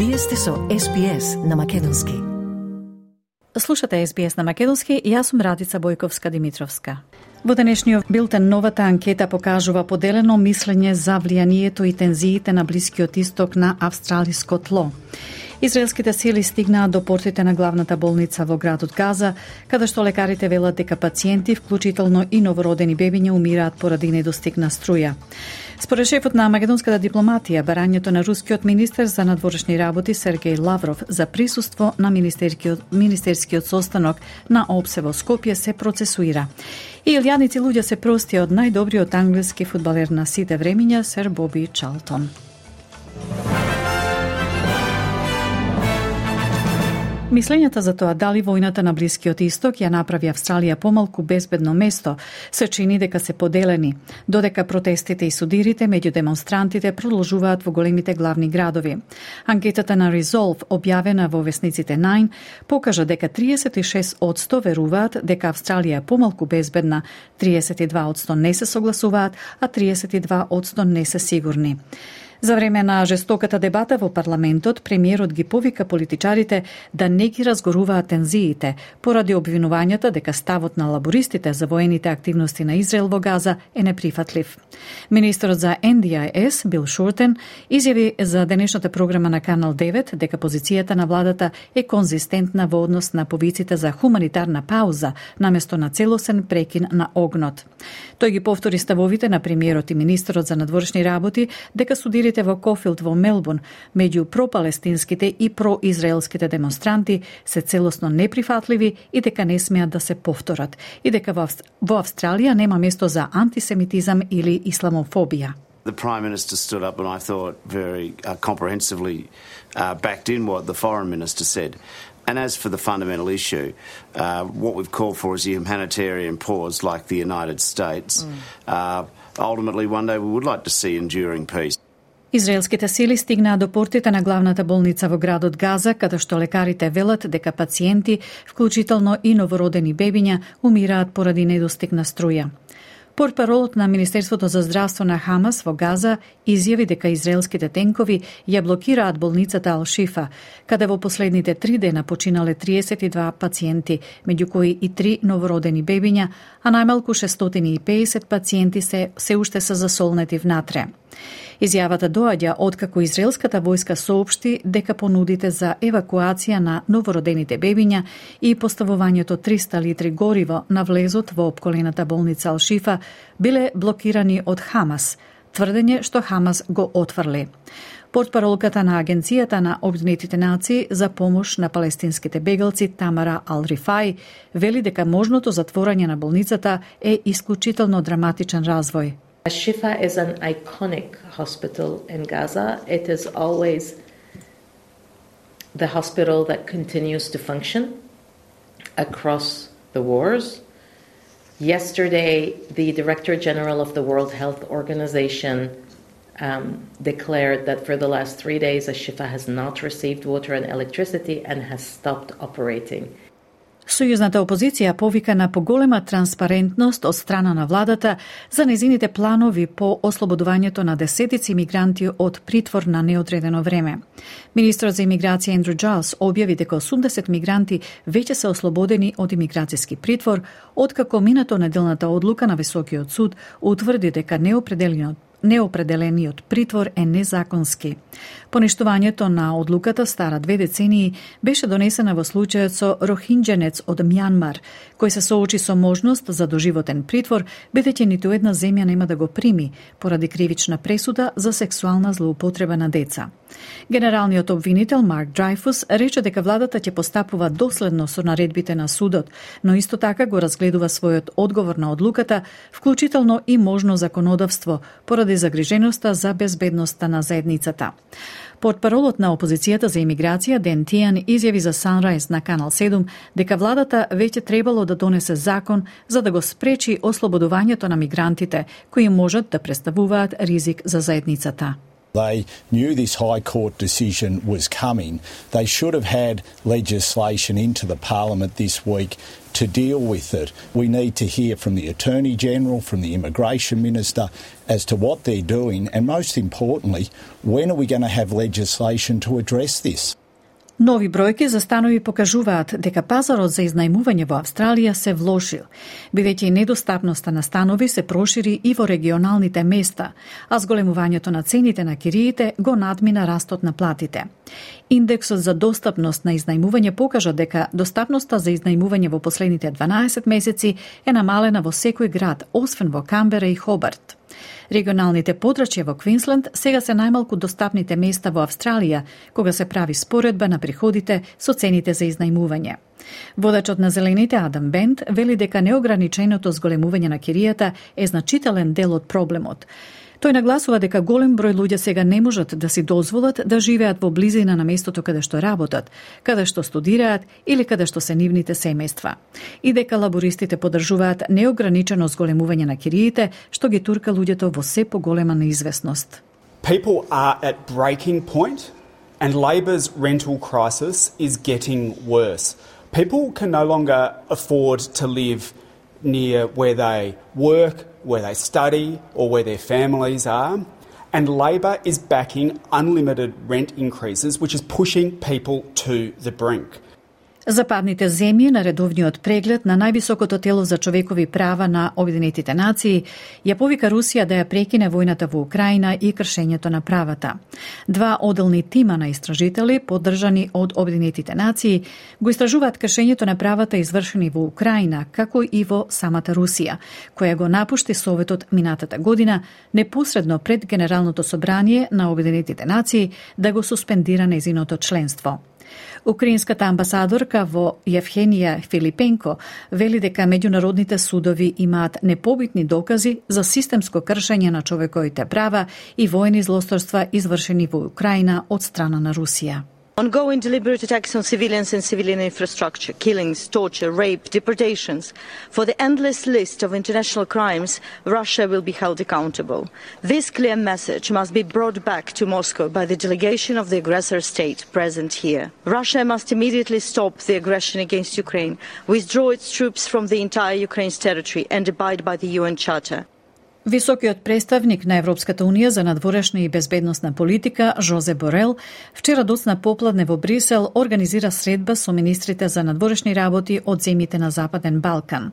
Вие сте со SBS на Македонски. Слушате SBS на Македонски и јас сум Радица Бојковска-Димитровска. Во денешниот билтен новата анкета покажува поделено мислење за влијанието и тензиите на Блискиот исток на австралиско тло. Израелските сили стигнаа до портите на главната болница во градот Газа, каде што лекарите велат дека пациенти, вклучително и новородени бебиња, умираат поради недостиг на струја. Според шефот на македонската дипломатија, барањето на рускиот министер за надворешни работи Сергеј Лавров за присуство на министерскиот состанок на ОПСЕ во Скопје се процесуира. И илјадници луѓе се простија од најдобриот англиски фудбалер на сите времиња, сер Боби Чарлтон. Мислењата за тоа дали војната на Блискиот исток ја направи Австралија помалку безбедно место се чини дека се поделени, додека протестите и судирите меѓу демонстрантите продолжуваат во големите главни градови. Анкетата на Resolve, објавена во весниците Nine, покажа дека 36% веруваат дека Австралија е помалку безбедна, 32% не се согласуваат, а 32% не се сигурни. За време на жестоката дебата во парламентот, премиерот ги повика политичарите да не ги разгоруваат тензиите, поради обвинувањата дека ставот на лабористите за воените активности на Израел во Газа е неприфатлив. Министерот за NDIS, Бил Шуртен, изјави за денешната програма на Канал 9 дека позицијата на владата е конзистентна во однос на повиците за хуманитарна пауза, наместо на целосен прекин на огнот. Тој ги повтори ставовите на премиерот и министерот за надворешни работи дека судирите во Кофилд во Мелбурн меѓу пропалестинските и произраелските демонстранти се целосно неприфатливи и дека не смеат да се повторат, и дека во Австралија нема место за антисемитизам или исламофобија. The Prime Minister stood up and I thought very comprehensively backed in what the Foreign Minister said. And as for the fundamental issue, what we've called for is a humanitarian pause like the United States. Ultimately, one day we would like to see enduring peace. Израелските сили стигнаа до портите на главната болница во градот Газа, каде што лекарите велат дека пациенти, вклучително и новородени бебиња, умираат поради недостиг на струја. Портпаролот на Министерството за здравство на Хамас во Газа изјави дека израелските тенкови ја блокираат болницата Ал-Шифа, каде во последните 3 дена починале 32 пациенти, меѓу кои и 3 новородени бебиња, а најмалку 650 пациенти се уште се засолнети внатре. Изјавата доаѓа откако израелската војска соопшти дека понудите за евакуација на новородените бебиња и поставувањето 300 литри гориво на влезот во опколената болница Ал-Шифа биле блокирани од Хамас, тврдење што Хамас го отфрли. Портпаролката на Агенцијата на Обединетите нации за помош на палестинските бегалци Тамара Ал-Рифај вели дека можното затворање на болницата е исклучително драматичен развој. Al-Shifa is an iconic hospital in Gaza. It is always the hospital that continues to function across the wars. Yesterday, the Director General of the World Health Organization declared that for the last 3 days, Al-Shifa has not received water and electricity and has stopped operating. Сојузната опозиција повика на поголема транспарентност од страна на владата за незините планови по ослободувањето на десетици мигранти од притвор на неодредено време. Министерот за имиграција Ендрю Джайлс објави дека 80 мигранти веќе се ослободени од имиграцијски притвор, откако минато неделната одлука на Високиот суд утврди дека неопределениот притвор е незаконски. Поништувањето на одлуката стара 2 децении беше донесена во случајот со рохинџенец од Мјанмар, кој се соочи со можност за доживотен притвор, бидејќи ниту една земја нема да го прими поради кривична пресуда за сексуална злоупотреба на деца. Генералниот обвинител Марк Драйфус рече дека владата ќе постапува доследно со наредбите на судот, но исто така го разгледува својот одговор на одлуката, вклучително и можно законодавство, поради загриженоста за безбедноста на заедницата. Портпаролот на опозицијата за имиграција Ден Тијан изјави за Sunrise на Канал 7 дека владата веќе требало да донесе закон за да го спречи ослободувањето на мигрантите кои можат да представуваат ризик за заедницата. They knew this High Court decision was coming. They should have had legislation into the Parliament this week to deal with it. We need to hear from the Attorney General, from the Immigration Minister as to what they're doing, and most importantly, when are we going to have legislation to address this? Нови бројки за станови покажуваат дека пазарот за изнајмување во Австралија се влошил, бидејќи и недостапноста на станови се прошири и во регионалните места, а зголемувањето на цените на кириите го надмина растот на платите. Индексот за достапност на изнајмување покажа дека достапноста за изнајмување во последните 12 месеци е намалена во секој град, освен во Камбера и Хобарт. Регионалните подрачја во Квинсленд сега се најмалку достапните места во Австралија, кога се прави споредба на приходите со цените за изнајмување. Водачот на Зелените Адам Бент вели дека неограниченото зголемување на киријата е значителен дел од проблемот. Тој нагласува дека голем број луѓе сега не можат да си дозволат да живеат во близина на местото каде што работат, каде што студираат или каде што се нивните семејства. И дека лабористите поддржуваат неограничено зголемување на кириите, што ги турка луѓето во се поголема неизвестност. People are at breaking point and Labor's rental crisis is getting worse. People can no longer afford to live near where they work, where they study or where their families are, and Labor is backing unlimited rent increases, which is pushing people to the brink. Западните земји на редовниот преглед на највисокото тело за човекови права на Обединетите нации ја повика Русија да ја прекине војната во Украина и кршењето на правата. Два оделни тима на истражители, поддржани од Обединетите нации, го истражуваат кршењето на правата извршени во Украина, како и во самата Русија, која го напушти Советот минатата година непосредно пред Генералното собрание на Обединетите нации да го суспендира нејзиното членство. Украинската амбасадорка во Евгенија Филипенко вели дека меѓународните судови имаат непобитни докази за системско кршење на човековите права и војни злосторства извршени во Украина од страна на Русија. Ongoing deliberate attacks on civilians and civilian infrastructure, killings, torture, rape, deportations. For the endless list of international crimes, Russia will be held accountable. This clear message must be brought back to Moscow by the delegation of the aggressor state present here. Russia must immediately stop the aggression against Ukraine, withdraw its troops from the entire Ukraine's territory and abide by the UN Charter. Високиот представник на Европската Унија за надворешна и безбедносна политика, Жозе Борел, вчера доцна попладне во Брисел организира средба со министрите за надворешни работи од земјите на Западен Балкан.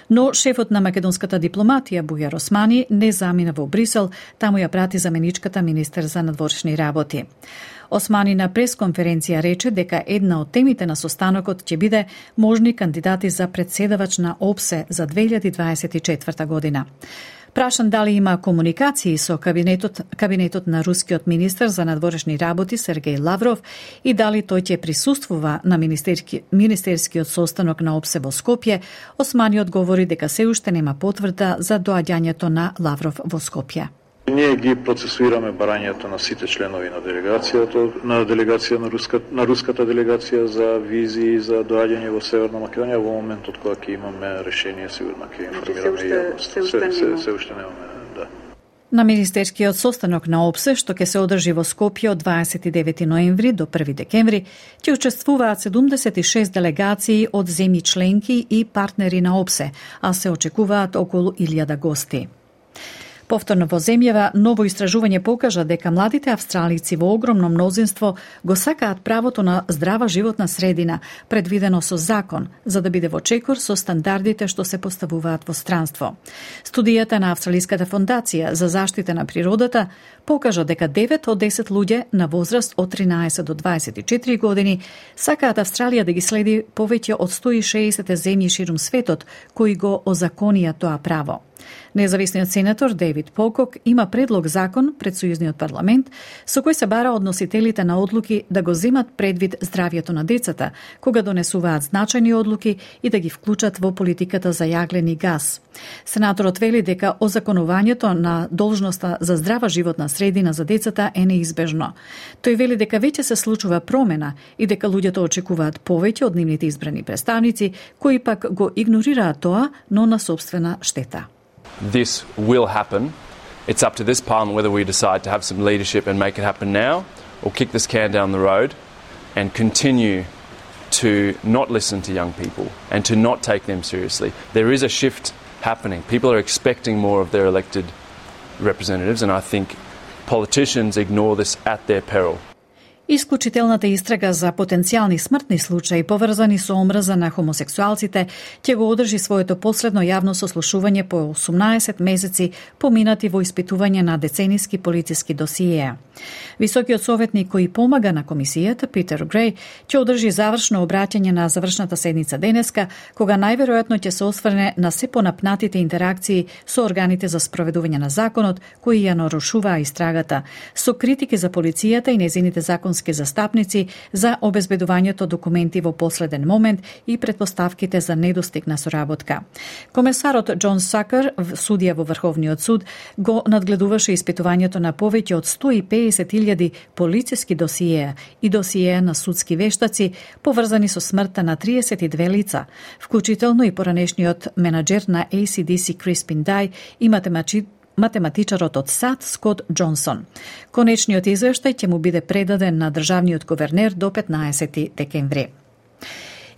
Но шефот на македонската дипломатија, Бујар Османи, не замина во Брисел, таму ја прати заменичката министер за надворешни работи. Османи на пресконференција рече дека една од темите на состанокот ќе биде можни кандидати за председавач на ОПСЕ за 2024 година. Прашан дали има комуникации со кабинетот на рускиот министер за надворешни работи Сергеј Лавров и дали тој ќе присуствува на министерскиот состанок на ОПСЕ во Скопје, Османи одговори дека се уште нема потврда за доаѓањето на Лавров во Скопје. Ние ги процесуираме барањето на сите членови на делегација на руската делегација за визи за доаѓање во Северна Македонија. Во моментот кога ќе имаме решение, сигурно ќе информираме јавноста. Се уште немаме, да. На министерскиот состанок на ОПСЕ, што ќе се одржи во Скопје од 29 ноември до 1 декември, ќе учествуваат 76 делегации од земји членки и партнери на ОПСЕ, а се очекуваат околу 1000 гости. Повторно во земјава, ново истражување покажа дека младите австралици во огромно мнозинство го сакаат правото на здрава животна средина, предвидено со закон, за да биде во чекор со стандардите што се поставуваат во странство. Студијата на Австралиската фондација за заштита на природата покажа дека 9 од 10 луѓе на возраст од 13 до 24 години сакаат Австралија да ги следи повеќе од 160 земји ширум светот кои го озаконија тоа право. Независниот сенатор Дейвид Покок има предлог закон пред Сојузниот парламент со кој се бара од носителите на одлуки да го земат предвид здравјето на децата кога донесуваат значајни одлуки и да ги вклучат во политиката за јаглени газ. Сенаторот вели дека озаконувањето на должноста за здрава животна средина за децата е неизбежно. Тој вели дека веќе се случува промена и дека луѓето очекуваат повеќе од нивните избрани представници кои пак го игнорираат тоа, но на сопствена штета. This will happen It's up to this Parliament whether we decide to have some leadership and make it happen now, or kick this can down the road and continue to not listen to young people and to not take them seriously. There is a shift happening. People are expecting more of their elected representatives, and I think politicians ignore this at their peril. Исклучителната истрага за потенцијални смртни случаи поврзани со омрза на хомосексуалците ќе го одржи своето последно јавно сослушување по 18 месеци поминати во испитување на децениски полициски досиеа. Високиот советник кој помага на комисијата, Питер Греј, ќе одржи завршно обраќање на завршната седница денеска, кога најверојатно ќе се осврне на се понапнатите интеракции со органите за спроведување на законот кои ја нарушуваа истрагата, со критики за полицијата и незините законски застапници за обезбедувањето документи во последен момент и претпоставките за недостиг на соработка. Комесарот Џон Сакер, судија во Врховниот суд, го надгледуваше испитувањето на повеќе од 150.000 полициски досиеа и досиеа на судски вештаци поврзани со смртта на 32 лица, вклучително и поранешниот менаџер на ACDC Криспин Дај и математичарот од САД Скот Џонсон. Конечниот извештај ќе му биде предаден на државниот гувернер до 15 декември.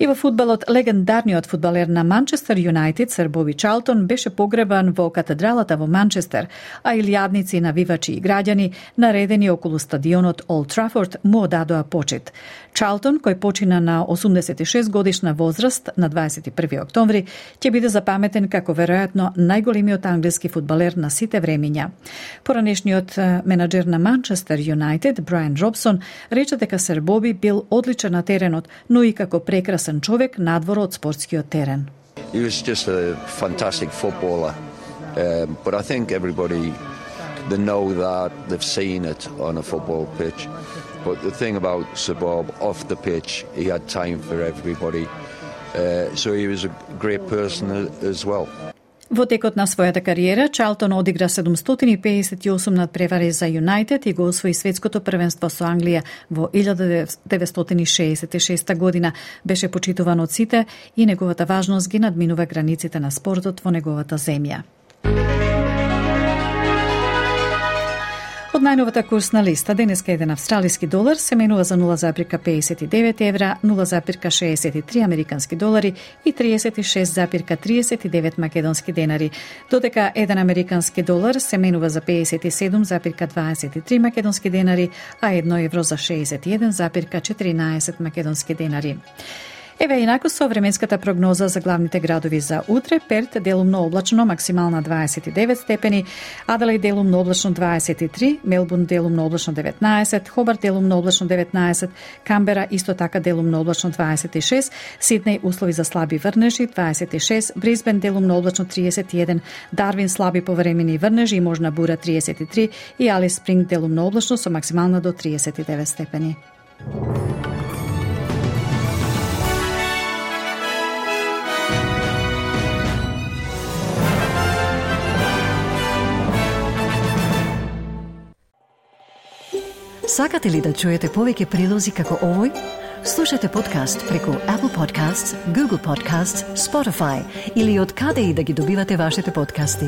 И во фудбалот, легендарниот фудбалер на Манчестер Юнайтед, Сер Боби Чарлтон, беше погребан во катедралата во Манчестер, а илјадници навивачи и граѓани, наредени околу стадионот Олд Трафорд, му одадоа почит. Чарлтон, кој почина на 86 годишна возраст на 21 октомври, ќе биде запаметен како веројатно најголемиот англиски фудбалер на сите времиња. Поранешниот менаџер на Манчестер Юнайтед, Брайан Робсон, рече дека Сер Боби бил одличен на теренот, но и како прекрасен човек надвор од спортскиот терен. He was just a fantastic footballer, but I think everybody they know that they've seen it on a football pitch. But the thing about Sir Bob off the pitch, he had time for everybody, so he was a great person as well. Во текот на својата кариера, Чарлтон одигра 758 надпревари за Юнайтед и го освои светското првенство со Англија во 1966 година. Беше почитуван од сите и неговата важност ги надминува границите на спортот во неговата земја. Од најновата курсна листа, денеска еден австралиски долар се менува за 0,59 евра, 0,63 американски долари и 36,39 македонски денари, додека еден американски долар се менува за 57,23 македонски денари, а 1 евро за 61,14 македонски денари. Еве инаку со временската прогноза за главните градови за утре: Перт делумно облачно, максимална 29 степени, Аделаид делумно облачно 23, Мелбурн делумно облачно 19, Хобарт делумно облачно 19, Камбера исто така делумно облачно 26, Сиднеј услови за слаби врнежи 26, Брисбен делумно облачно 31, Дарвин слаби повремени врнежи и можна бура 33 и Алис Спринг делумно облачно со максимална до 39 степени. Сакате ли да чуете повеќе прилози како овој? Слушате подкаст преку Apple Podcasts, Google Podcasts, Spotify или од каде и да ги добивате вашите подкасти.